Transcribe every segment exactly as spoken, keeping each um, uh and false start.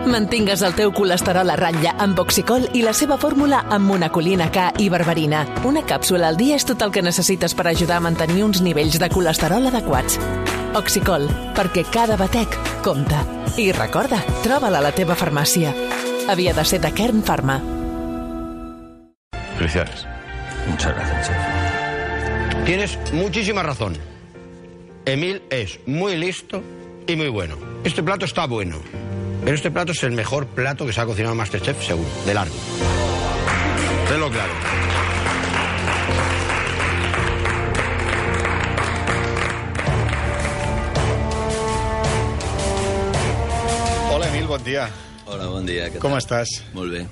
Mantingues el teu colesterol a ratlla amb Oxicol i la seva fórmula amb monacolina K i berberina. Una càpsula al dia és tot el que necessites per ajudar a mantenir uns nivells de colesterol adequats. Oxicol, perquè cada batec compta. I recorda, troba-la a la teva farmàcia. Havia de ser de Kern Pharma. Felicidades. Muchas gracias, chef. Tienes muchísima razón. Emil es muy listo y muy bueno. Este plato está bueno, pero este plato es el mejor plato que se ha cocinado en MasterChef, seguro, de largo. Tenlo claro. Hola, Emil, bon dia. Hola, bon dia. Què Com tal? estàs? Molt bé.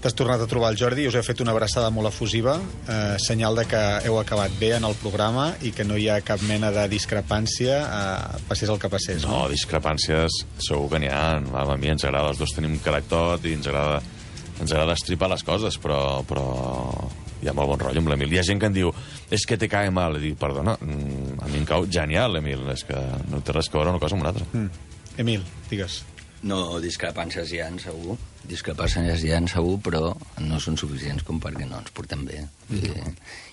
T'has tornat a trobar el Jordi i us he fet una abraçada molt efusiva, eh, senyal de que heu acabat bé en el programa i que no hi ha cap mena de discrepància, eh, passés el que passés. No, discrepàncies segur que n'hi ha. A mi ens agrada, els dos tenim caràcter i ens agrada, ens agrada estripar les coses, però, però hi ha molt bon rotllo amb l'Emil. Hi ha gent que em diu, és que te cae mal. I dic, perdona, a mi em cau genial, Emil. És que no té res que veure una cosa amb una altra. Mm. Emil, digues. No, discrepàncies hi ha, segur. Discrepàncies hi ha, segur, però no són suficients com perquè no ens portem bé. I,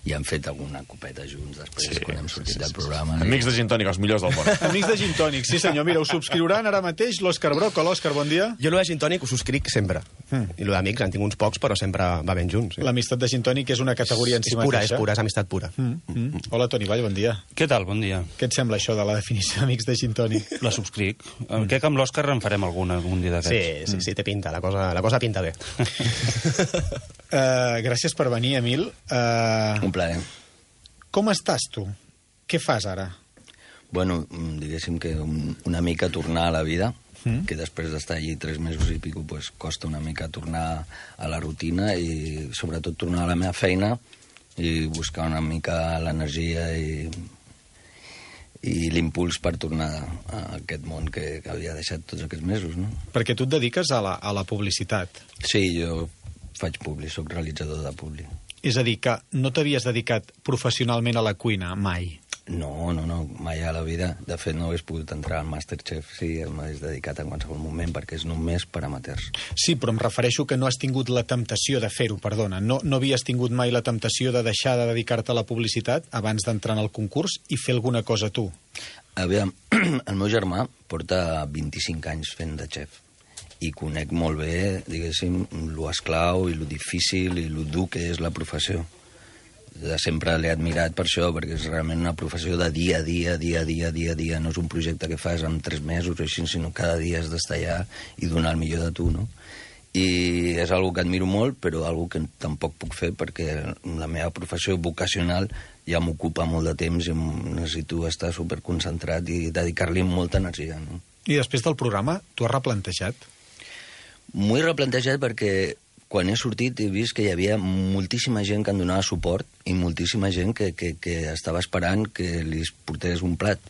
i hem fet alguna copeta junts després, Sí, quan hem sortit sí, del sí, programa. sí. Amics de gin tònic, els millors del món. Amics de Gin Tònic, sí senyor. Mira, us subscriuran ara mateix l'Òscar Broco. L'Òscar, bon dia. Jo, lo de Gin Tònic, ho subscric sempre. Mm. I lo d'amics, en tinc uns pocs, però sempre va ben junts. Sí. L'amistat de Gin Tònic és una categoria en si És pura, mateixa. és pura, és amistat pura. Mm. Mm. Hola, Toni Vall, bon dia. Què tal? Bon dia. Què et sembla això de la definició d'Amics de Gin Tònic? La subscric. Mm. Crec que amb l'Òscar en farem alguna, algun dia Sí, d'aquests. sí, sí, té pinta, la cosa, la cosa pinta bé. uh, gràcies per venir, Emil. Uh, Un plaer. com estàs, tu? Què fas ara? Bueno, diguéssim que un, una mica tornar a la vida, Mm. que després d'estar allí tres mesos i pico, pues, costa una mica tornar a la rutina i sobretot tornar a la meva feina i buscar una mica l'energia i, i l'impuls per tornar a aquest món que, que havia deixat tots aquests mesos, no? Perquè tu et dediques a la, a la publicitat. Sí, jo faig publi, soc realitzador de publi. És a dir, que no t'havies dedicat professionalment a la cuina, mai. No, no, no, mai a la vida. De fet, no hagués pogut entrar al Masterchef si m'hagués dedicat en qualsevol moment, perquè és només per amateurs. Sí, però em refereixo que no has tingut la temptació de fer-ho, perdona. No, no havies tingut mai la temptació de deixar de dedicar-te a la publicitat abans d'entrar en el concurs i fer alguna cosa tu. Aviam, el meu germà porta vint-i-cinc anys fent de xef i conec molt bé, diguéssim, lo esclau i lo difícil i lo dur que és la professió. De sempre l'he admirat per això, perquè és realment una professió de dia a dia, dia a dia, dia a dia. No és un projecte que fas en tres mesos o així, sinó cada dia has d'estar allà i donar el millor de tu, no? I és algo que admiro molt, però algo que tampoc puc fer perquè la meva professió vocacional ja m'ocupa molt de temps i necessito estar superconcentrat i dedicar-li molta energia, no? I després del programa, t'ho has replantejat? M'ho he replantejat perquè quan he sortit he vist que hi havia moltíssima gent que em donava suport i moltíssima gent que, que, que estava esperant que li portés un plat.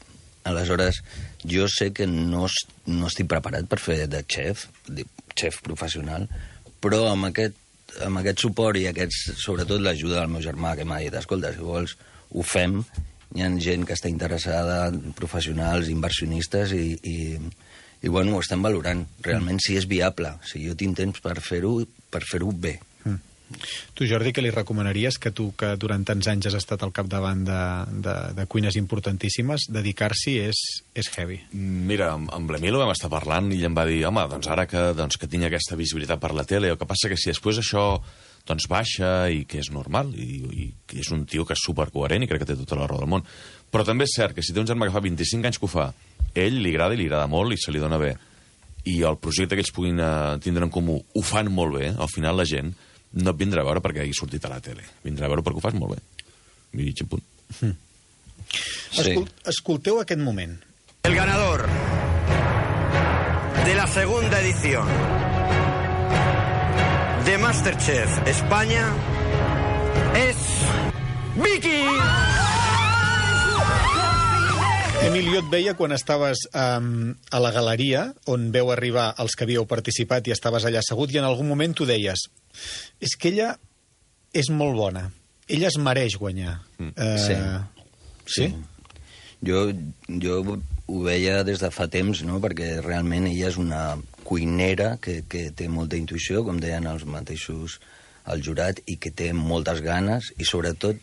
Aleshores, jo sé que no, no estic preparat per fer de xef, de xef professional, però amb aquest, amb aquest suport i aquests, sobretot l'ajuda del meu germà que m'ha dit, escolta, si vols, ho fem. Hi ha gent que està interessada, professionals, inversionistes, i, i, i bueno, ho estem valorant. Realment, si és viable, si jo tinc temps per fer-ho, per fer-ho bé. Mm. Tu, Jordi, què li recomanaries, que tu, que durant tants anys has estat al capdavant de, de, de cuines importantíssimes, dedicar-s'hi és, és heavy? Mira, amb, amb l'Emil ho vam estar parlant i ell em va dir, home, doncs ara que, doncs, que tinc aquesta visibilitat per la tele, el que passa que si després això doncs baixa i que és normal, i, i que és un tio que és supercoherent i crec que té tota la raó del món, però també és cert que si té un germà que fa vint-i-cinc anys que ho fa, ell li agrada i li agrada molt i se li dona bé, i el projecte que ells puguin uh, tindre en comú ho fan molt bé, al final la gent no et vindrà a veure perquè hagi sortit a la tele, vindrà a veure perquè ho fas molt bé. I mig punt. Mm. Sí. Escol escolteu aquest moment. El ganador de la segunda edición de MasterChef España es Vicky. Emil, jo et veia quan estaves um, a la galeria, on veu arribar els que havíeu participat i estaves allà assegut, i en algun moment tu deies, és que ella és molt bona, ella es mereix guanyar. Mm. Uh, Sí. Sí? Jo, jo ho veia des de fa temps, no? Perquè realment ella és una cuinera que, que té molta intuïció, com deien els mateixos al jurat, i que té moltes ganes, i sobretot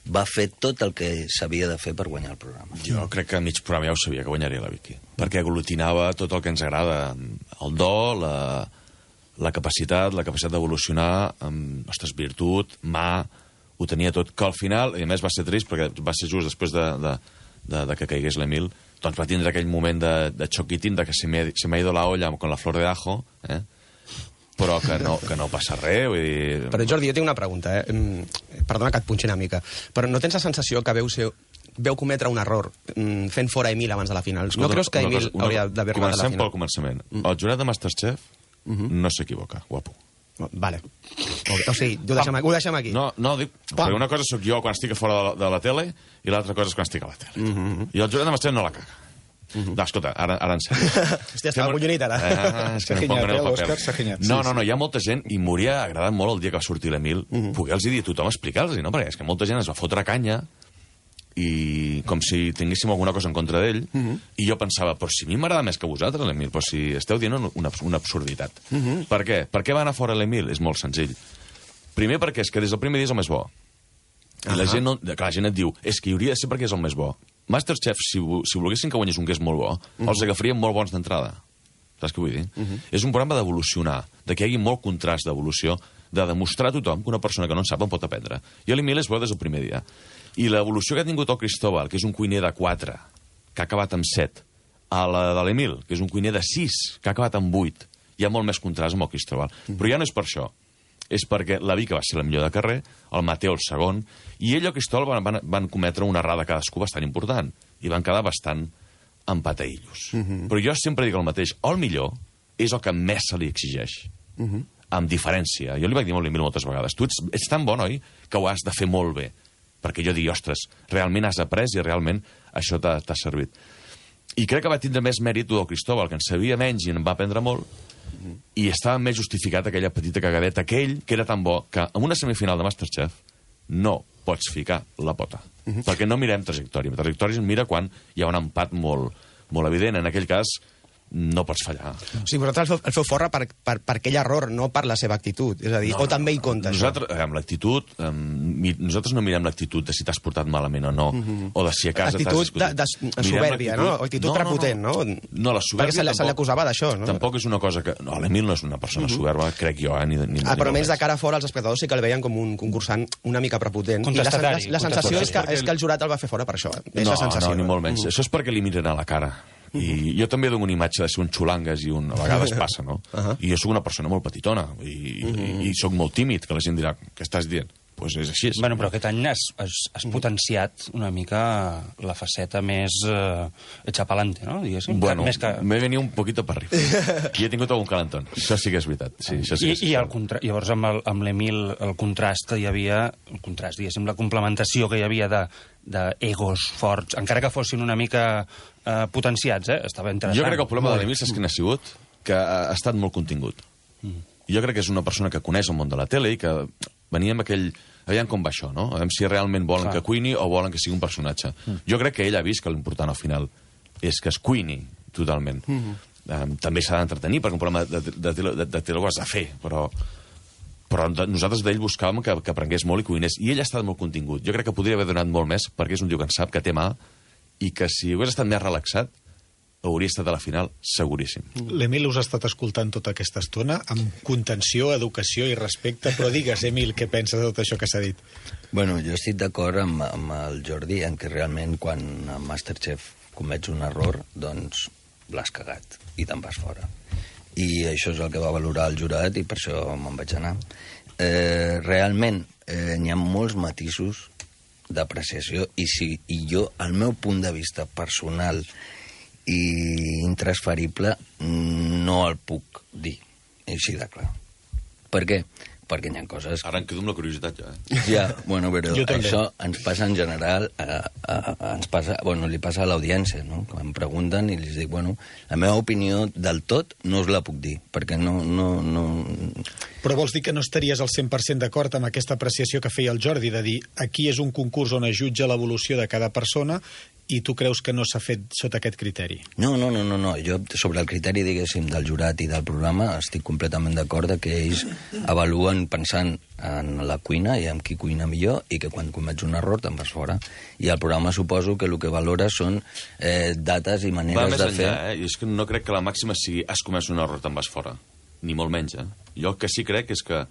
va fer tot el que s'havia de fer per guanyar el programa. Jo crec que a mig programa ja ho sabia, que guanyaria la Vicky. Perquè aglutinava tot el que ens agrada. El do, la, la capacitat, la capacitat d'evolucionar, amb, ostres, virtut, mà, ho tenia tot. Que al final, i a més va ser trist, perquè va ser just després de, de, de, de que caigués l'Emil, doncs va tindre aquell moment de, de xoquitín, de que se me, se me ha ido la olla con la flor de ajo, eh? Però que no, que no passa res. Vull dir... Però, Jordi, jo tinc una pregunta, eh? Perdona que et punxi una mica, però no tens la sensació que veu, ser, veu cometre un error fent fora Emil abans de la final? No creus que Emil una, hauria d'haver arribat a la final? Comencem pel començament. Mm. El jurat de Masterchef uh -huh. no s'equivoca, guapo. Vale. O sigui, ho deixem, ho deixem aquí. No, no, dic, perquè una cosa sóc jo quan estic a fora de la, de la tele i l'altra cosa és quan estic a la tele. Uh -huh. I el jurat de Masterchef no la caga. Uh -huh. No, escolta, ara, ara en sèrio. Hòstia, estava collonit, ara. Ah, és que no pongo en el paper. No, no, no, hi ha molta gent, i m'hauria agradat molt el dia que va sortir l'Emil, uh -huh. poder-los dir a tothom, explicar-los, no? Perquè és que molta gent es va fotre canya, i com si tinguéssim alguna cosa en contra d'ell, uh -huh. i jo pensava, però si a mi m'agrada més que vosaltres, l'Emil, però si esteu dient una, una absurditat. Uh -huh. Per què? Per què va anar fora l'Emil? És molt senzill. Primer perquè és que des del primer dia és el més bo. I uh -huh. la, gent no, que la gent et diu, és que hi hauria de ser perquè és el més bo. Masterchef, si, si volguessin que guanyés un que és molt bo, uh -huh. els agafarien molt bons d'entrada. Saps què vull dir? Uh -huh. És un programa d'evolucionar, de que hi hagi molt contrast d'evolució, de demostrar a tothom que una persona que no en sap en pot aprendre. I l'Emil és bo des del primer dia. I l'evolució que ha tingut el Cristóbal, que és un cuiner de quatre, que ha acabat amb set, a la de l'Emil, que és un cuiner de sis, que ha acabat amb vuit, hi ha molt més contrast amb el Cristóbal. Uh -huh. Però ja no és per això. És perquè la Vicky va ser la millor de carrer, el Mateo el segon, i ell i el Cristóbal van, van, van cometre una errada cadascú bastant important, i van quedar bastant empataïllos. Uh -huh. Però jo sempre dic el mateix, el millor és el que més se li exigeix, uh -huh. amb diferència. Jo li vaig dir molt a l'Emil moltes vegades, tu ets, ets tan bon, oi?, que ho has de fer molt bé, perquè jo dic, ostres, realment has après i realment això t'ha servit. I crec que va tindre més mèrit del Cristóbal, que en sabia menys i en va aprendre molt, i estava més justificat aquella petita cagadeta, aquell que era tan bo que en una semifinal de Masterchef no pots ficar la pota. Uh -huh. Perquè no mirem trajectòria. La trajectòria es mira quan hi ha un empat molt, molt evident. En aquell cas, no pots fallar. O sigui, vosaltres el feu, el feu fora per, per, per aquell error, no per la seva actitud. És a dir, no, o també hi compta nosaltres, això? Amb l'actitud, um, nosaltres no mirem l'actitud de si t'has portat malament o no, uh -huh. o de si a casa t'has discutit. Actitud de, de soberbia, no? Actitud no, prepotent, no? No, no la soberbia perquè se, se l'acusava d'això, no? Tampoc és una cosa que... No, l'Emil no és una persona uh -huh. soberba, crec jo, eh? Ni, ni, ah, ni però almenys de cara a fora els espectadors sí que el veien com un concursant una mica prepotent. I la, la, la sensació és que, és que el jurat el va fer fora per això. És no, la sensació. No, ni molt menys. Uh -huh. Això és perquè li miren a la cara. I jo també dono una imatge de ser un xulangues i un, a vegades passa, no? Uh -huh. I jo sóc una persona molt petitona i, uh -huh. i, i sóc molt tímid, que la gent dirà, què estàs dient? Doncs pues és així. Bueno, però aquest any has, has, has potenciat una mica la faceta més eh, echapalante, no? Diguéssim. Bueno, més que... m'he venit un poquito per arriba. I he tingut algun calentón. Això sí que és veritat. Sí, això sí I, és i el contra... llavors amb l'Emil el contrast que hi havia, el contrast, diguéssim, la complementació que hi havia de d'egos forts, encara que fossin una mica eh, potenciats, eh? Estava interessant. Jo crec que el problema de l'Emil, saps quin ha sigut? Que ha estat molt contingut. Mm. Jo crec que és una persona que coneix el món de la tele i que venia amb aquell... Aviam com va això, no? Aviam si realment volen Clar. que cuini o volen que sigui un personatge. Mm. Jo crec que ell ha vist que l'important al final és que es cuini totalment. Mm -hmm. um, també s'ha d'entretenir, perquè un programa de, de, de, de, de tele ho has de fer, però... però nosaltres d'ell buscàvem que, que aprengués molt i cuinés. I ell ha estat molt contingut. Jo crec que podria haver donat molt més, perquè és un tio que en sap, que té mà, i que si hagués estat més relaxat, hauria estat a la final seguríssim. L'Emil us ha estat escoltant tota aquesta estona, amb contenció, educació i respecte, però digues, Emil, què penses de tot això que s'ha dit? Bueno, jo estic d'acord amb, amb el Jordi en que realment quan a Masterchef comets un error, doncs l'has cagat i te'n vas fora. I això és el que va valorar el jurat i per això me'n vaig anar. Eh, realment, eh, n'hi ha molts matisos d'apreciació i, si, i jo, al meu punt de vista personal i intransferible, no el puc dir, així de clar. Per què? Perquè hi ha coses... Ara em quedo amb la curiositat, ja. Eh? Ja, bueno, però això ens passa en general, a, a, a, ens passa, bueno, li passa a l'audiència, no? Que em pregunten i els dic, bueno, la meva opinió del tot no us la puc dir, perquè no... no, no... Però vols dir que no estaries al cent per cent d'acord amb aquesta apreciació que feia el Jordi, de dir, aquí és un concurs on es jutja l'evolució de cada persona I tu creus que no s'ha fet sota aquest criteri? No, no, no, no, no. Jo, sobre el criteri, diguéssim, del jurat i del programa, estic completament d'acord que ells avaluen pensant en la cuina i en qui cuina millor i que quan comets un error te'n vas fora. I el programa suposo que el que valora són eh, dates i maneres Va més de enllà, fer... eh? I és que no crec que la màxima sigui has comès un error, te'n vas fora. Ni molt menys, eh? Jo el que sí crec és que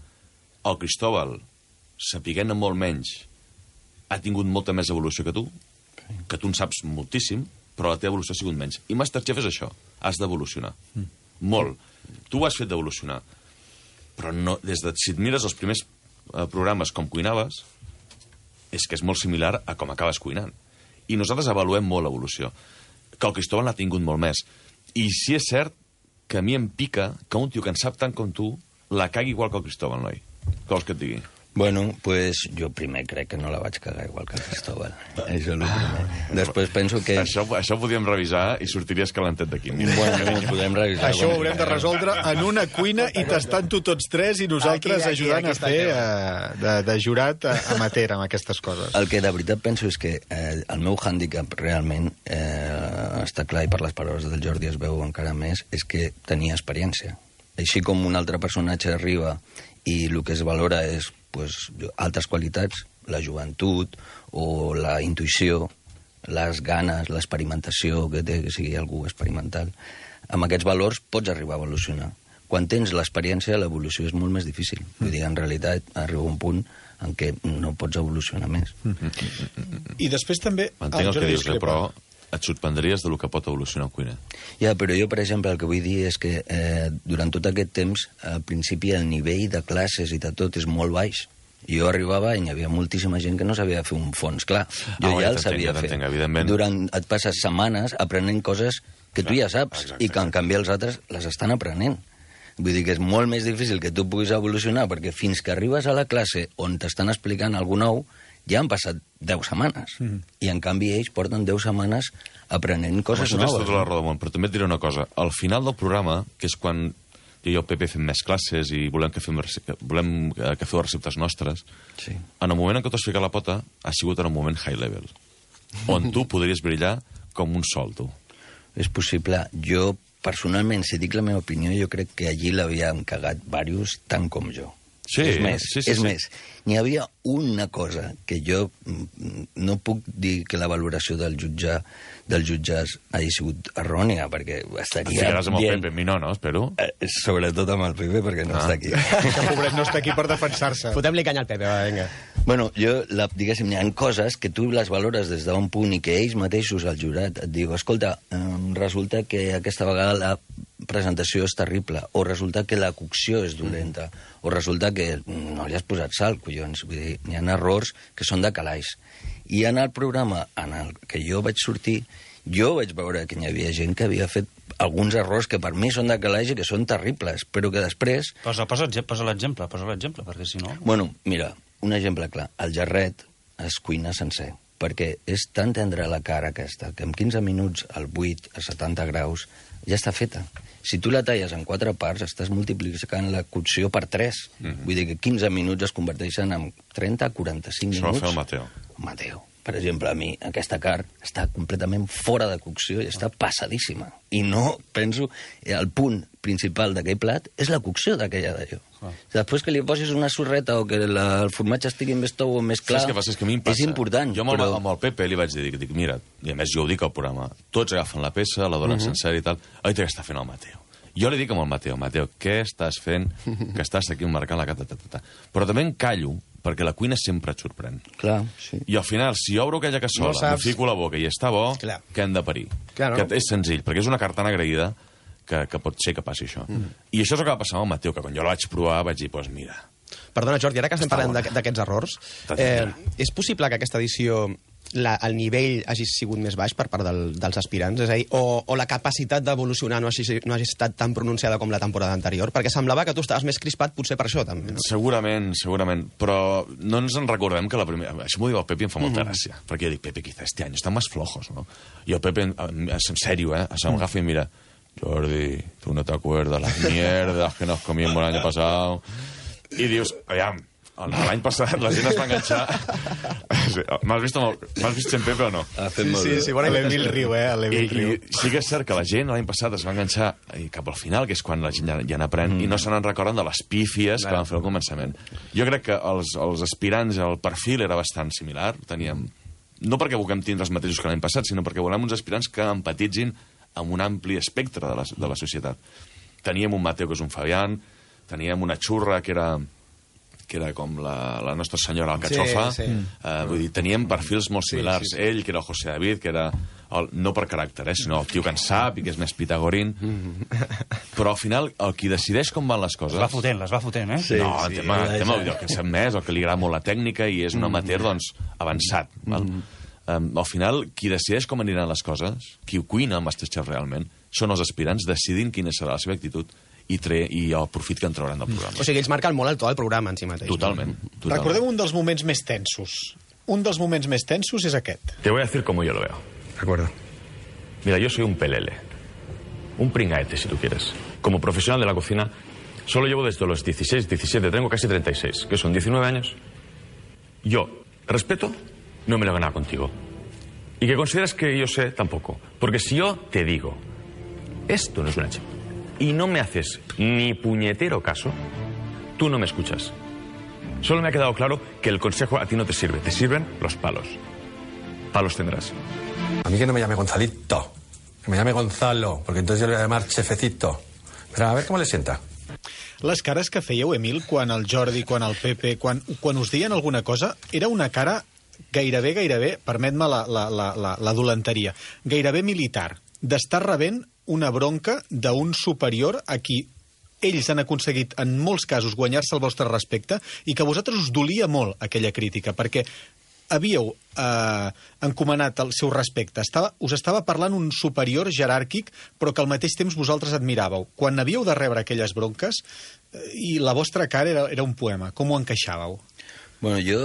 el Cristóbal, sapiguent molt menys, ha tingut molta més evolució que tu, que tu en saps moltíssim, però la teva evolució ha sigut menys. I Masterchef és això, has d'evolucionar. Mm. Molt. Tu ho has fet d'evolucionar. Però no, des de, si et mires els primers eh, programes com cuinaves, és que és molt similar a com acabes cuinant. I nosaltres avaluem molt l'evolució. Que el Cristóbal n'ha tingut molt més. I sí és cert que a mi em pica que un tio que en sap tant com tu la cagui igual que el Cristóbal, noi. Què vols que et digui? Bueno, pues jo primer crec que no la vaig cagar igual que el Cristóbal. Això és el primer. Després penso que... Això, això ho podíem revisar i sortiries calentet d'aquí. Bueno, podem revisar. Això ho haurem de resoldre en una cuina i tastant-ho tots tres i nosaltres Aquí, aquí, ajudant aquí a fer uh, de, de jurat amateur amb aquestes coses. El que de veritat penso és que eh, el meu hàndicap realment, eh, està clar i per les paraules del Jordi es veu encara més, és que tenia experiència. Així com un altre personatge arriba i el que es valora és pues, altres qualitats, la joventut o la intuïció, les ganes, l'experimentació, que té que sigui algú experimental. Amb aquests valors pots arribar a evolucionar. Quan tens l'experiència, l'evolució és molt més difícil. Vull dir, en realitat, arriba un punt en què no pots evolucionar més. I després també... Entenc el que dius, eh, però et sorprendries del que pot evolucionar un cuiner. Ja, però jo, per exemple, el que vull dir és que eh, durant tot aquest temps, al principi, el nivell de classes i de tot és molt baix. Jo arribava i hi havia moltíssima gent que no sabia fer un fons. Clar, jo Ah, ja ja el sabia t'entenc, fer. t'entenc, evidentment. Durant, et passes setmanes aprenent coses que tu ja saps exacte, i que, en canvi, els altres les estan aprenent. Vull dir que és molt més difícil que tu puguis evolucionar perquè fins que arribes a la classe on t'estan explicant alguna nou, ja han passat deu setmanes. Mm. I, en canvi, ells porten deu setmanes aprenent coses Això tens noves. tota la raó del món, però també et diré una cosa. Al final del programa, que és quan jo i el Pepe fem més classes i volem que, fem, volem que feu receptes nostres, Sí. en el moment en què t'has ficat la pota, ha sigut en un moment high level, on tu podries brillar com un sol, tu. És possible. Jo, personalment, si dic la meva opinió, jo crec que allí l'havien cagat diversos, tant com jo. Sí, és més, sí, sí, és sí. més, n'hi havia una cosa que jo mm, no puc dir que la valoració del jutge dels jutges hagi sigut errònia, perquè estaria Ficaràs amb el dient... Pepe, mi no, no? Espero. Eh, sobretot amb el Pepe, perquè no Ah. està aquí. Que pobret no està aquí per defensar-se. Fotem-li canya al Pepe, va, vinga. Bueno, jo, la, diguéssim, hi ha coses que tu les valores des d'un punt i que ells mateixos, el jurat, et diu, escolta, eh, resulta que aquesta vegada la presentació és terrible, o resulta que la cocció és dolenta, o resulta que no li has posat sal, collons. Vull dir, hi ha errors que són de calaix. I en el programa en el que jo vaig sortir, jo vaig veure que hi havia gent que havia fet alguns errors que per mi són de calaix i que són terribles, però que després... Posa, posa, posa l'exemple, posa l'exemple, perquè si no... Bueno, mira, un exemple clar. El jarret es cuina sencer, perquè és tan tendre la cara aquesta que en quinze minuts, al vuit, a setanta graus, ja està feta. Si tu la talles en quatre parts, estàs multiplicant la cocció per tres. Mm-hmm. Vull dir que quinze minuts es converteixen en trenta a quaranta-cinc Això minuts. va fer el Mateo. Mateo. Per exemple, a mi, aquesta carn està completament fora de cocció i està passadíssima. I no, penso, el punt principal d'aquell plat és la cocció d'aquella d'allò. Ah. Després que li posis una sorreta o que la, el formatge estigui més tou o més clar, Saps què passa? És que a mi em passa. és important. Jo amb, però... el, amb el Pepe li vaig dir, dic, dic, mira, i a més jo ho dic al programa, tots agafen la peça, la donen uh -huh. sencera i tal, oi, què està fent el Mateo? Jo li dic amb el Mateo, Mateo, què estàs fent que estàs aquí marcant la cata, ta, ta, ta. Però també em callo, perquè la cuina sempre et sorprèn. Clar, sí. I al final, si obro aquella cassola, No saps. li fico la boca i està bo, Clar. què hem de parir? Clar, no? Que és senzill, perquè és una cartana agraïda que, que pot ser que passi això. Mm. I això és el que va passar amb el Mateo, que quan jo la vaig provar vaig dir, doncs pues mira... Perdona, Jordi, ara que estem Està parlant bona. d'aqu- d'aquests errors, Està eh, tranquil·la. és possible que aquesta edició la, el nivell hagi sigut més baix per part del, dels aspirants? És a dir, o, o la capacitat d'evolucionar no, hagi, no hagi estat tan pronunciada com la temporada anterior? Perquè semblava que tu estaves més crispat potser per això, també. No? Segurament, segurament, però no ens en recordem que la primera... Això m'ho diu el Pepe i em fa molta mm. gràcia, perquè jo dic, Pepe, quizá este año están más flojos, ¿no? I el Pepe, en, en serio, eh, se m'agafa i mira, Jordi, tú no te acuerdas las mierdas que nos comimos el año pasado. I dius, aviam, l'any passat la gent es va enganxar... M'has vist, m'has vist sempre o no? Sí, sí, sí, bueno, l'Emil riu, eh? L'Emil riu. I sí que és cert que la gent l'any passat es va enganxar cap al final, que és quan la gent ja, ja n'aprèn, mm. i no se n'en recorden de les pífies que van fer al començament. Jo crec que els, els aspirants, el perfil era bastant similar, teníem... No perquè vulguem tindre els mateixos que l'any passat, sinó perquè volem uns aspirants que empatitzin amb un ampli espectre de la, de la societat. Teníem un Mateo, que és un Fabián, teníem una Xurra, que era, que era com la, la Nostra Senyora Alcachofa. Sí, sí. Uh, vull dir, teníem perfils molt similars. Sí, sí, sí. Ell, que era el José David, que era, el, no per caràcter, eh, sinó el tio que en sap i que és més pitagorín. Però al final, el qui decideix com van les coses... Les va fotent, les va fotent, eh? Sí, no, el sí, tema, el tema el que sap més, el que li agrada molt la tècnica i és un amateur, doncs, avançat. Mm. Val? Um, al final, qui decideix com aniran les coses, qui cuina el Masterchef realment, són els aspirants decidint quina serà la seva actitud i, tre i el profit que en trauran del programa. O sigui, ells marquen molt el to del programa en si mateix. Totalment. totalment. Recordem un dels moments més tensos. Un dels moments més tensos és aquest. Te voy a decir cómo yo lo veo. De acuerdo. Mira, yo soy un pelele. Un pringaete, si tú quieres. Como profesional de la cocina, solo llevo desde los dieciséis, diecisiete, tengo casi treinta y seis, que son diecinueve años. Yo, respeto, no me lo he ganado contigo. Y que consideras que yo sé, tampoco. Porque si yo te digo, esto no es una chip, y no me haces ni puñetero caso, tú no me escuchas. Solo me ha quedado claro que el consejo a ti no te sirve, te sirven los palos. Palos tendrás. A mí que no me llame Gonzalito, que me llame Gonzalo, porque entonces yo le voy a llamar Chefecito. Pero a ver cómo le sienta. Les cares que fèieu, Emil, quan el Jordi, quan el Pepe, quan, quan us deien alguna cosa, era una cara gairebé, gairebé, permet-me la, la, la, la, la dolenteria, gairebé militar, d'estar rebent una bronca d'un superior a qui ells han aconseguit, en molts casos, guanyar-se el vostre respecte i que a vosaltres us dolia molt aquella crítica, perquè havíeu eh, encomanat el seu respecte. Estava, us estava parlant un superior jeràrquic, però que al mateix temps vosaltres admiràveu. Quan havíeu de rebre aquelles bronques, eh, i la vostra cara era, era un poema, com ho encaixàveu? Bueno, jo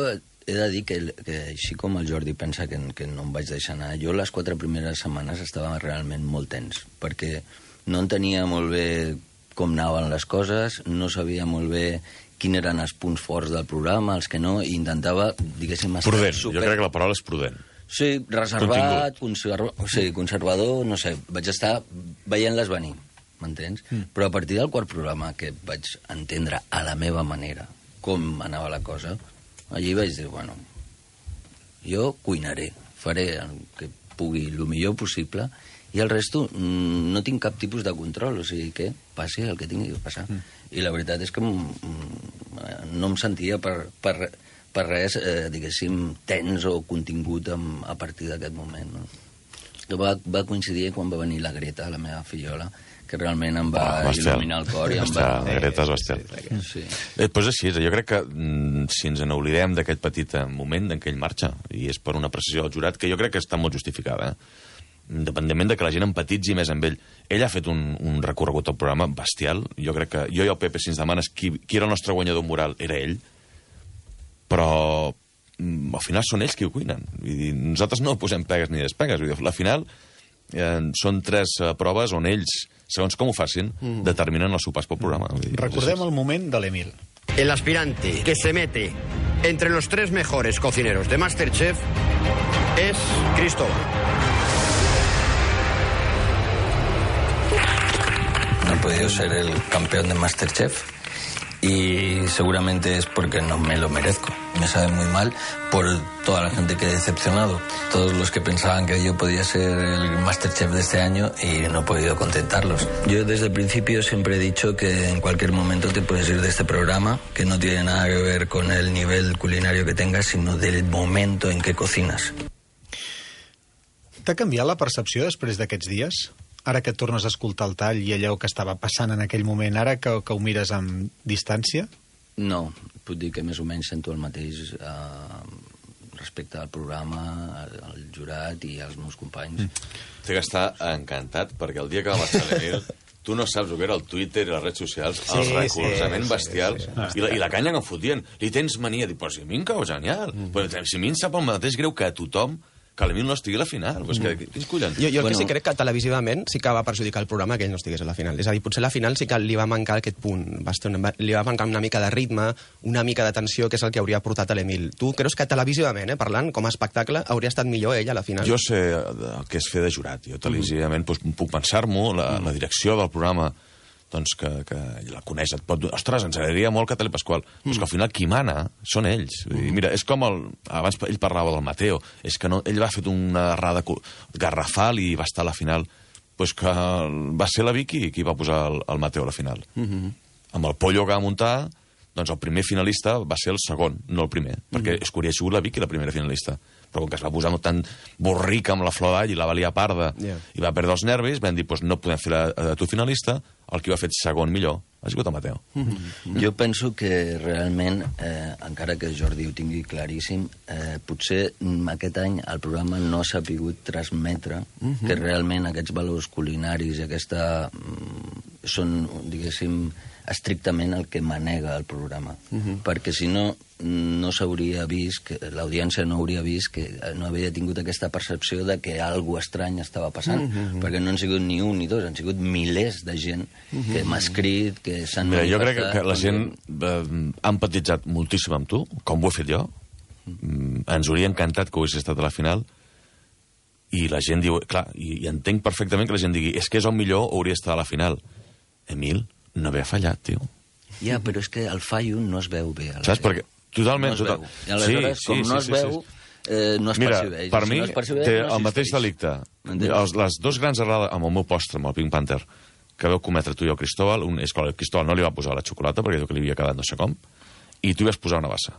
he de dir que, que així com el Jordi pensa que, que no em vaig deixar anar, jo les quatre primeres setmanes estava realment molt tens, perquè no entenia molt bé com anaven les coses, no sabia molt bé quins eren els punts forts del programa, els que no, i intentava, diguéssim... Prudent, super... jo crec que la paraula és prudent. Sí, reservat, conserv... sí, conservador, no sé, vaig estar veient-les venir, m'entens? Mm. Però a partir del quart programa, que vaig entendre a la meva manera com anava la cosa, allí vaig dir, bueno, jo cuinaré, faré el que pugui, el millor possible, i el resto no tinc cap tipus de control, o sigui que passi el que tingui que passar. Mm. I la veritat és que no em sentia per, per, per res, eh, diguéssim, tens o contingut amb, a partir d'aquest moment. No? Va, va coincidir quan va venir la Greta, la meva fillola, que realment em va oh, il·luminar el cor. I em va... La Greta és bestial. Sí. Després així, jo crec que mm, si ens n'oblidem d'aquell petit moment en què ell marxa, i és per una precisió del jurat, que jo crec que està molt justificada, eh? Independentment de que la gent empatitzi més amb ell. Ell ha fet un, un recorregut al programa bestial. Jo crec que jo i el Pepe, si ens demanes qui, qui era el nostre guanyador moral, era ell. Però mm, al final són ells qui ho cuinen. Vull dir, nosaltres no posem pegues ni despegues. Vull dir, al final eh, són tres eh, proves on ells, segons com ho facin, mm. determinen els sopars pel programa. Vull dir, recordem el moment de l'Emil. El aspirante que se mete entre los tres mejores cocineros de Masterchef es Cristóbal. No he podido ser el campeón de Masterchef y seguramente es porque no me lo merezco. Me sabe muy mal por toda la gente que he decepcionado, todos los que pensaban que yo podía ser el Masterchef de este año y no he podido contentarlos. Yo desde el principio siempre he dicho que en cualquier momento te puedes ir de este programa, que no tiene nada que ver con el nivel culinario que tengas, sino del momento en què cocines. T'ha canviat la percepció després d'aquests dies? Ara que et tornes a escoltar el tall i allò que estava passant en aquell moment, ara que, que ho mires amb distància? No, puc dir que més o menys sento el mateix eh, respecte al programa, al, al jurat i als meus companys. Mm. Té que estar encantat, perquè el dia que va marxar l'Emil, tu no saps el que era el Twitter i les redes socials, sí, el recolzament sí, bestial, sí, sí, sí. I, la, i la canya que em fotien. Li tens mania, dic, però si a mi em cau genial. Mm. Però si a mi em sap el mateix greu que a tothom que l'Emil no estigui a la final. Pues que, quins collons? Jo, jo el Bueno. que sí crec que televisivament sí que va perjudicar el programa que ell no estigués a la final. És a dir, potser a la final sí que li va mancar aquest punt. Va estar una, li va mancar una mica de ritme, una mica de tensió, que és el que hauria portat a l'Emil. Tu creus que televisivament, eh, parlant, com a espectacle, hauria estat millor ell a la final? Jo sé el que és fer de jurat. Jo televisivament doncs, puc pensar-m'ho, la, la direcció del programa doncs que, que la coneix, et pot... Ostres, ens agradaria molt que Tele Pasqual. Mm. Però és que al final qui mana són ells. Mm. Mira, és com el... Abans ell parlava del Mateo. És que no... ell va fer una errada garrafal i va estar a la final. Pues que va ser la Vicky qui va posar el, el Mateo a la final. Mm -hmm. Amb el pollo que va muntar, doncs el primer finalista va ser el segon, no el primer. Perquè mm. és que hauria sigut la Vicky la primera finalista. Però com que es va posar tan borrica amb la flor d'all i la valia parda yeah. i va perdre els nervis, vam dir, pues, no podem fer a, a tu finalista, el que ho ha fet segon millor ha sigut el Mateo. Mm-hmm. Jo penso que realment, eh, encara que Jordi ho tingui claríssim, eh, potser aquest any el programa no s'ha pogut transmetre mm-hmm. que realment aquests valors culinaris i aquesta... Mm, són, diguéssim, estrictament el que manega el programa. Mm-hmm. Perquè si no, no s'hauria vist, que l'audiència no hauria vist que no havia tingut aquesta percepció de que alguna estrany estava passant, mm-hmm. perquè no han sigut ni un ni dos, han sigut milers de gent mm-hmm. que m'ha escrit, que s'han... Mira, jo crec que, que la gent eh, ha empatitzat moltíssim amb tu, com ho he fet jo. Mm, ens hauria encantat que ho hagués estat a la final, i la gent diu... Clar, i, i entenc perfectament que la gent digui és que és el millor, hauria estat a la final. Emil, no havia fallat, tio. Ja, però és que el fallo no es veu bé. Saps? Perquè totalment... No es veu. I aleshores, sí, com sí, no es sí, veu, sí, sí. Eh, no es Mira, percebeix. per si mi no es percebeix, té no el mateix delicte. Els, les dos grans errades, amb el meu postre, amb el Pink Panther, que veu cometre tu i el Cristóbal, un, és que el Cristóbal no li va posar la xocolata perquè diu que li havia quedat no sé com, i tu hi vas posar una bassa.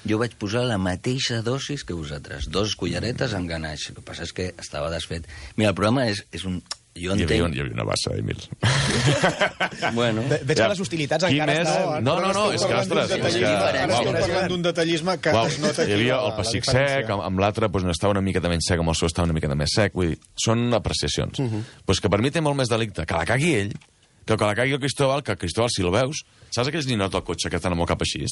Jo vaig posar la mateixa dosis que vosaltres, dos culleretes amb ganaix. El que passa és que estava desfet. Mira, el programa és, és un... Jo entenc... Hi havia, hi havia una bassa, Emil. Bueno... Veig que les hostilitats Quin encara és... estan... No, no, no, és que, ostres... És que... Ara estem parlant d'un detallisme que Uau, es nota aquí. Hi havia la, el pessic sec, amb, amb l'altre doncs, estava una miqueta menys sec, amb el seu estava una miqueta més sec. Vull dir, són apreciacions. Uh -huh. Pues que per mi té molt més delicte que la cagui ell, que que la cagui el Cristóbal, que el Cristóbal, si el veus, saps aquells ninot del cotxe que estan amb el cap així?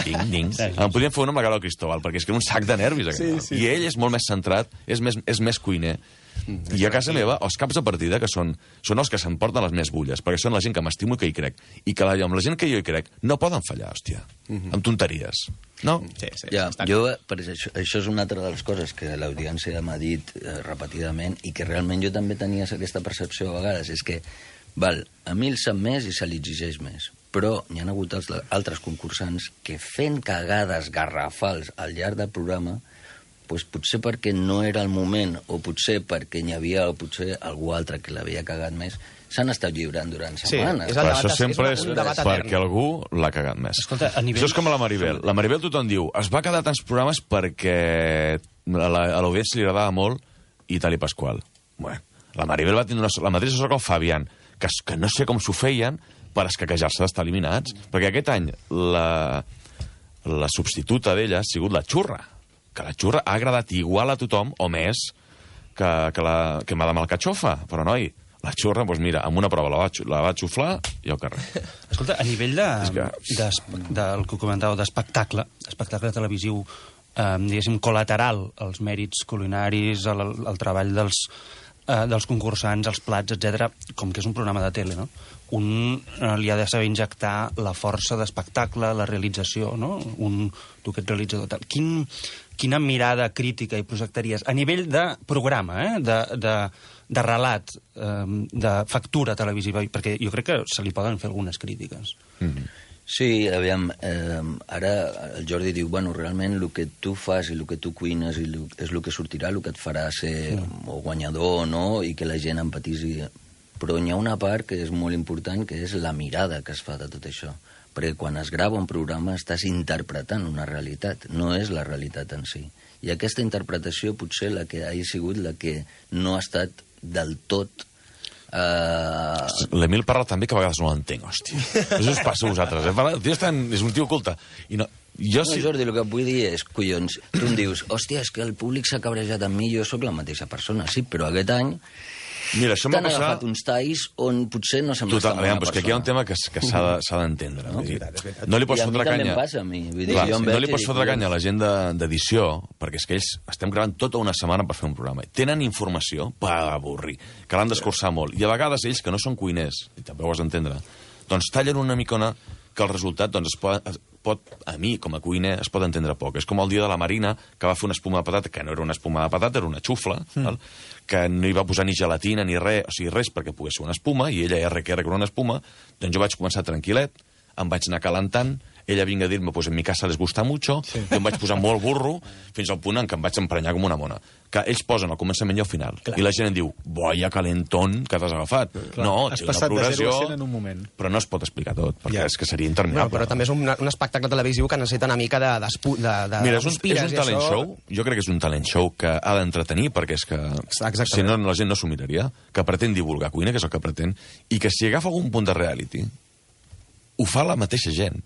Ding, ding. Em podien fer una amb la cara del Cristóbal, perquè és que era un sac de nervis. Sí, sí. I ell és molt més centrat, és més, és més cuiner. I a casa meva, els caps de partida, que són, són els que s'emporten les més bulles, perquè són la gent que m'estimo i que hi crec. I que la, amb la gent que jo hi crec no poden fallar, hòstia, uh-huh. amb tonteries. No? Sí, sí, ja, jo, per això, això és una altra de les coses que l'audiència m'ha dit eh, repetidament i que realment jo també tenia aquesta percepció a vegades, és que val, a mi el sap més i se li exigeix més, però n'hi ha hagut els, altres concursants que fent cagades garrafals al llarg del programa, pues potser perquè no era el moment, o potser perquè n'hi havia o potser algú altre que l'havia cagat més, s'han estat lliurant durant setmanes. Sí, però això sempre és, és perquè algú l'ha cagat més. Escolta, a nivell... Això és com a la Maribel. La Maribel tothom diu, es va quedar tants programes perquè a l'audiència li agradava molt i Tali Pasqual. Bueno, la Maribel va tenir una, la mateixa sort que el Fabián, que, que no sé com s'ho feien per escaquejar-se d'estar eliminats, perquè aquest any la, la substituta d'ella ha sigut la Xurra, que la Xurra ha agradat igual a tothom o més que, que, la, que Madame Alcachofa, però noi, la Xurra, doncs mira, amb una prova la va, la va xuflar i al carrer. Escolta, a nivell de, que... de, del que comentàveu d'espectacle, espectacle televisiu, eh, diguéssim, col·lateral, els mèrits culinaris, el, el treball dels, eh, dels concursants, els plats, etcètera, com que és un programa de tele, no? Un eh, li ha de saber injectar la força d'espectacle, la realització, no? Un, tu que ets realitzador, tal. Quin, quina mirada crítica hi projectaries a nivell de programa, eh? de, de, de relat, eh, de factura televisiva, perquè jo crec que se li poden fer algunes crítiques. Mm-hmm. Sí, aviam, eh, ara el Jordi diu, bueno, realment el que tu fas i el que tu cuines i lo, és el que sortirà, el que et farà ser sí. o guanyador o no, i que la gent empatisi. Però n'hi ha una part que és molt important, que és la mirada que es fa de tot això. Perquè quan es grava un programa estàs interpretant una realitat, no és la realitat en si. I aquesta interpretació potser la que ha sigut la que no ha estat del tot... Uh... L'Emil parla també que a vegades no l'entenc, hòstia. Això us passa a vosaltres, eh? El tio és, tan... és un tio culte. I no... Jo no, sí... Jordi, el que vull dir és, collons, tu em dius, hòstia, és que el públic s'ha cabrejat amb mi, jo sóc la mateixa persona, sí, però aquest any Mira, això t'han m'ha passat... agafat uns talls on potser no sembles Total, tan bona aviam, però és que aquí hi ha un persona. tema que, que s'ha de- s'ha d'entendre. No? No, no li pots I a mi fotre també canya... em passa, a mi. Vull dir, Clar, jo em si no veig li i pots dic, fotre collons. canya a la gent de- d'edició, perquè és que ells estem gravant tota una setmana per fer un programa. Tenen informació per avorrir, que l'han d'escurçar molt. I a vegades ells, que no són cuiners, i també ho has d'entendre, doncs tallen una micona que el resultat doncs, es pot, es pot, a mi, com a cuiner, es pot entendre poc. És com el dia de la Marina, que va fer una espuma de patata, que no era una espuma de patata, era una xufla, mm. val? Que no hi va posar ni gelatina ni res, o sigui, res perquè pogués ser una espuma, i ella erra que era una espuma, doncs jo vaig començar tranquil·let, em vaig anar calentant, ella vinga a dir-me, pues en mi casa les gusta mucho, sí. Jo em vaig posar molt burro, fins al punt en què em vaig emprenyar com una mona. Que ells posen al començament i al final. Clar. I la gent em diu, boia calentón que t'has agafat. Clar. No, Has té una passat de progressió, zero a cent en un moment. però no es pot explicar tot, perquè Ja. és que seria Bueno, interminable. però també és un, un espectacle televisiu que necessita una mica de, de, de, de Mira, és un, conspires, és un i talent això- show, jo crec que és un talent show que ha d'entretenir, perquè és que, Exactament. si no, la gent no s'ho miraria, que pretén divulgar cuina, que és el que pretén, i que si agafa algun punt de reality, ho fa la mateixa gent.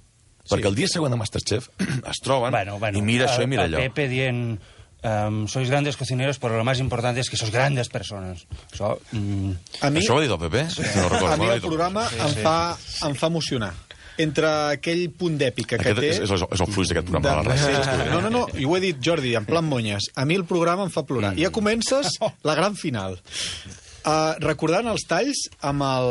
Perquè el dia següent de Masterchef es troben Bueno, bueno, i mira això i mira el allò. Pepe dient... Um, sois grandes cocineros, pero lo más importante es que sois grandes personas. Això, mm, A mi, Això ho ha dit el Pepe? Sí. No recordo, a mi no ho ha el dit programa Sí, em, sí. fa, em fa emocionar. Entre aquell punt d'èpica que Aquest té... és, és, el, és el fluix d'aquest programa, de... la Sí, ràdio. sí. No, no, no, i ho he dit, Jordi, en plan monyes. A mi el programa em fa plorar. I ja comences la gran final. Uh, recordant els talls amb el...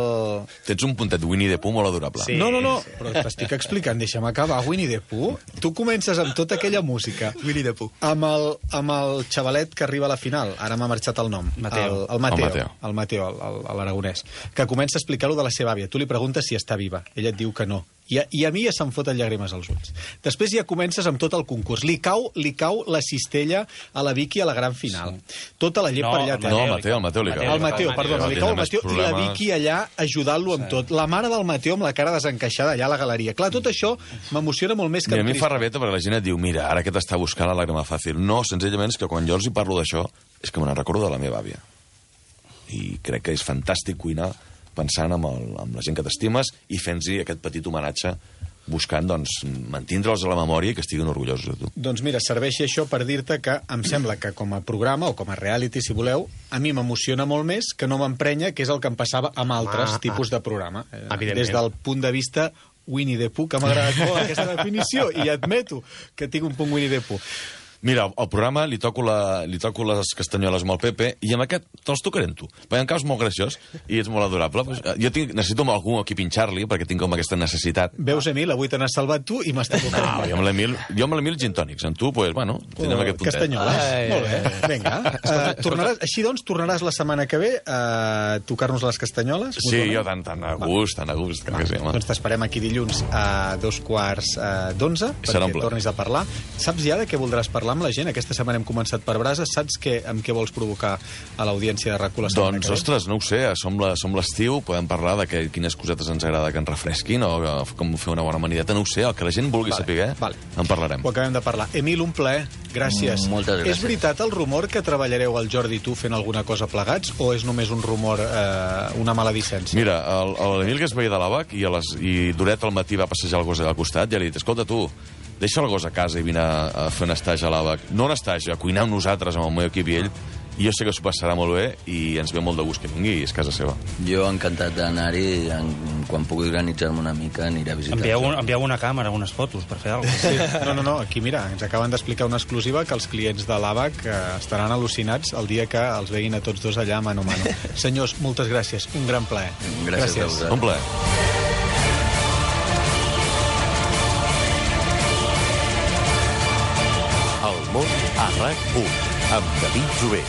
Tens un puntet Winnie the Pooh molt adorable. Sí, no, no, no, però t'estic explicant, deixa'm acabar, Winnie the Pooh. Tu comences amb tota aquella música. Winnie the Pooh. Amb el, amb el xavalet que arriba a la final, ara m'ha marxat el nom. Mateo. El, el Mateo. El Mateo. El Mateo, el- el- el- l'aragonès. Que comença a explicar-lo de la seva àvia. Tu li preguntes si està viva. Ella et diu que no. I a, i a mi ja se'm foten llàgrimes als ulls. Després ja comences amb tot el concurs. Li cau, li cau la cistella a la Vicky a la gran final. Tota la llet No, per allà. el té. No, el Mateo, el Mateo li cau. El Mateo, perdona, li cau el Tindrà més Mateo i la problemes. Vicky allà ajudant-lo amb tot. La mare del Mateo amb la cara desencaixada allà a la galeria. Clar, tot això m'emociona molt més que... Mira, a em mi em fa crispa. rabeta perquè la gent et diu, mira, ara que t'està buscant la làgrima fàcil. No, senzillament és que quan jo els hi parlo d'això és que me n'en recordo de la meva àvia. I crec que és fantàstic cuinar pensant amb, el, amb la gent que t'estimes i fent-hi aquest petit homenatge buscant, doncs, mantindre'ls a la memòria i que estiguin orgullosos de tu. Doncs mira, serveixi això per dir-te que em sembla que com a programa o com a reality, si voleu, a mi m'emociona molt més que no m'emprenya, que és el que em passava amb altres Ah, tipus de programa. Eh, Evidentment. Des del punt de vista Winnie the Pooh, que m'ha agradat molt aquesta definició, i admeto que tinc un punt Winnie the Pooh. Mira, al programa li toco, la, li toco les castanyoles amb el Pepe i amb aquest te'ls tocaré amb tu. Perquè em caus molt graciós i ets molt adorable. Pues, eh, jo tinc, necessito algú aquí pinxar-li perquè tinc com aquesta necessitat. Veus, Emil, avui te n'has salvat tu i m'està tocant. No, jo amb l'Emil, jo amb l'Emil gin tònics. Amb tu, pues, bueno, tindrem aquest puntet. Castanyoles. Ai, Molt bé, vinga. Uh, tornaràs, així doncs, tornaràs la setmana que ve a tocar-nos les castanyoles? Sí, mutuament? jo tan, tan a gust, tan a gust. Que sí, home. Doncs t'esperem aquí dilluns a dos quarts eh, d'onze Serà un perquè plaer. tornis a parlar. Saps ja de què voldràs parlar amb la gent? Aquesta setmana hem començat per brases. Saps què, amb què vols provocar a l'audiència de RAC u la setmana Doncs, que ve? ostres, no ho sé, som la- som l'estiu, podem parlar de que, quines cosetes ens agrada que ens refresquin o eh, com fer una bona amanideta, no ho sé, el que la gent vulgui Vale, saber, vale. en parlarem. Ho acabem de parlar. Emil, un plaer. Gràcies. Mm, moltes gràcies. És veritat el rumor que treballareu el Jordi i tu fent alguna cosa plegats o és només un rumor, eh, una maledicència? Mira, el- l'Emil que es veia de l'àbac i, a les, i Doret al matí va passejar el gos allà al costat i ja li he dit, escolta tu, deixa el gos a casa i vine a, a fer un estatge a l'àbac. No un estatge, a cuinar amb nosaltres, amb el meu equip i ell, i jo sé que s'ho passarà molt bé i ens ve molt de gust que vingui i és casa seva. Jo encantat d'anar-hi, en- quan pugui organitzar-me una mica aniré a visitar. envieu, un, envieu una càmera, unes fotos, per fer alguna cosa. Sí. No, no, no, aquí mira, ens acaben d'explicar una exclusiva que els clients de l'ABAC eh, estaran al·lucinats el dia que els veguin a tots dos allà mano a mano. Senyors, moltes gràcies, un gran plaer. Gràcies a vosaltres. Un plaer. El món a RAC u amb David Jové.